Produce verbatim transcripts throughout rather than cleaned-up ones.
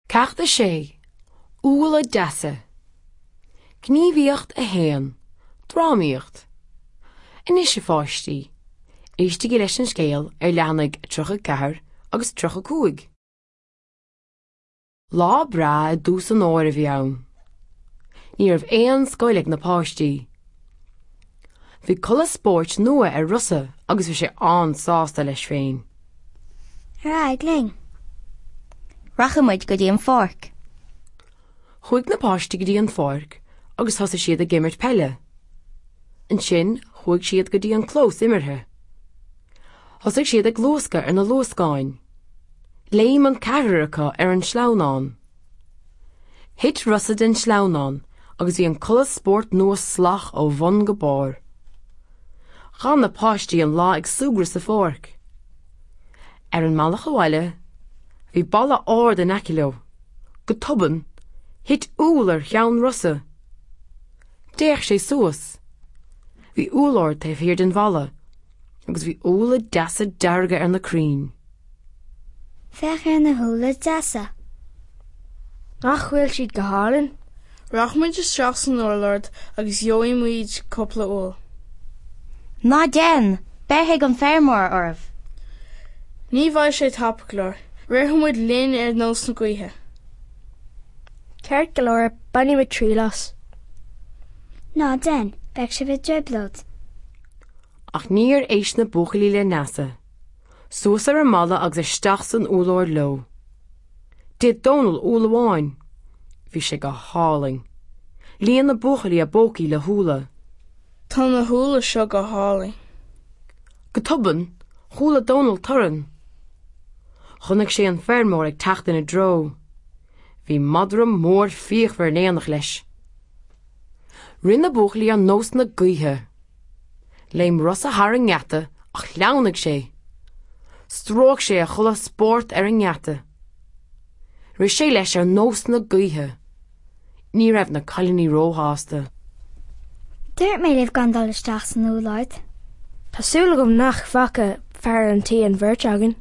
Ceacht a sé, Úlla deasa. Gníomhaíocht a haon, Drámaíocht. Anois a pháistí, éistigí leis an scéal ar leathanaigh tríocha ceathair agus tríocha cúig. Lá breá i dtús an fhómhair a bhí ann. Ní raibh aon scoil ag na páistí. Bhí culaith spóirt nua ar Rossa agus bhí sé an-sásta leis féin. Ar aghaidh linn. Rachaidh muid go dtí an pháirc. Chuaigh na páistí go dtí an pháirc agus thosaigh siad ag imirt peile. Ansin chuaigh siad go dtí an clós imeartha. Thosaigh siad ag luascadh ar na luascáin. Léim an ceathrar acu ar an sleamhnán. Thit Rossa den sleamhnán agus bhí an culaith spóirt nua salach ó bhun go barr. Chaith na páistí an lá ag súgradh sa pháirc. Ar an mbealach abhaile, bhí balla ard in aice leo. Go tobann, thit úll ar cheann Rossa. D'fhéach sé suas. Bhí úllord taobh thiar den bhalla, agus bhí úlla deasa dearga ar na crainn. Féach ar na húlla deasa. Nach bhfuil siad go hálainn? Rachaimid isteach san úllord agus gheobhaidh muid cúpla úll. Ná déan, beirfidh an feirmeoir oraibh. Ní bheidh sé tapa go leor, rithfidh muid linn ar nós na gaoithe. Ceart go leor bainfidh muid triail as. Ná déan, beidh sibh i dtrioblóid. Ach níor éist na buachaillí le Neasa. Suas ar an mballa agus isteach san úllord leo. D'ith Dónal úll amháin. Bhí sé go hálainn. Líon na buachaillí a bpócaí le húlla. Tá na húlla seo go hálainn. Go tobann, chuala Dónal torann. Chonaic sé an feirmeoir ag teacht ina dtreo. Bhí madra mór fíochmhar in éineacht leis. Rith na buachaillí ar nós na gaoithe. Léim Rossa thar an ngeata ach shleamhnaigh sé. Stróic sé a chulaith spóirt ar an ngeata. Rith sé leis ar nós na gaoithe. Ní raibh na cailíní róshásta. Dúirt mé libh gan dul isteach san úllord. Tá súil agam nach bhfaca fear an tí an bheirt againn.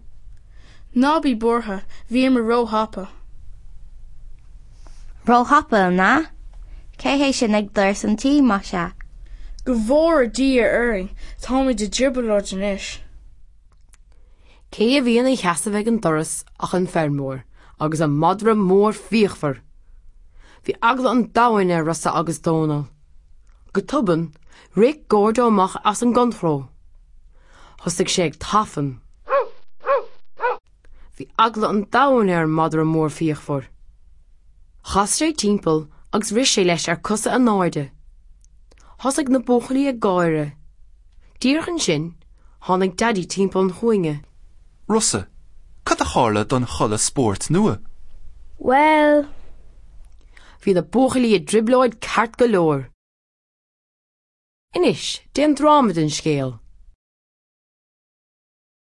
Ná bí buartha, bhíomar róthapa. Róthapa an ea? Cé hé sin ag doras an tí más ea? Go bhfóire Dia orainn, táimid i dtrioblóid anois. Cé a bhí ina sheasamh ag an doras ach an feirmeoir agus an madra mór fíochmhar. Bhí eagla an domhain ar Rossa agus Dónal. Go tobann, rith Gordo amach as an gcontúirt. Thosaigh sé ag tafann. Bhí eagla an domhain ar an madra mór fíochmhar. Chas sé timpeall agus rith sé leis ar cosa in airde. Thosaigh na buachaillí ag gáire. Díreach ansin, tháinig Daidí timpeall an chúinne. Rossa, cad a tharla don chulaith spóirt nua? Well, Bhí na buachaillí i dtrioblóid ceart go leor. Anois, déan dráma den scéal.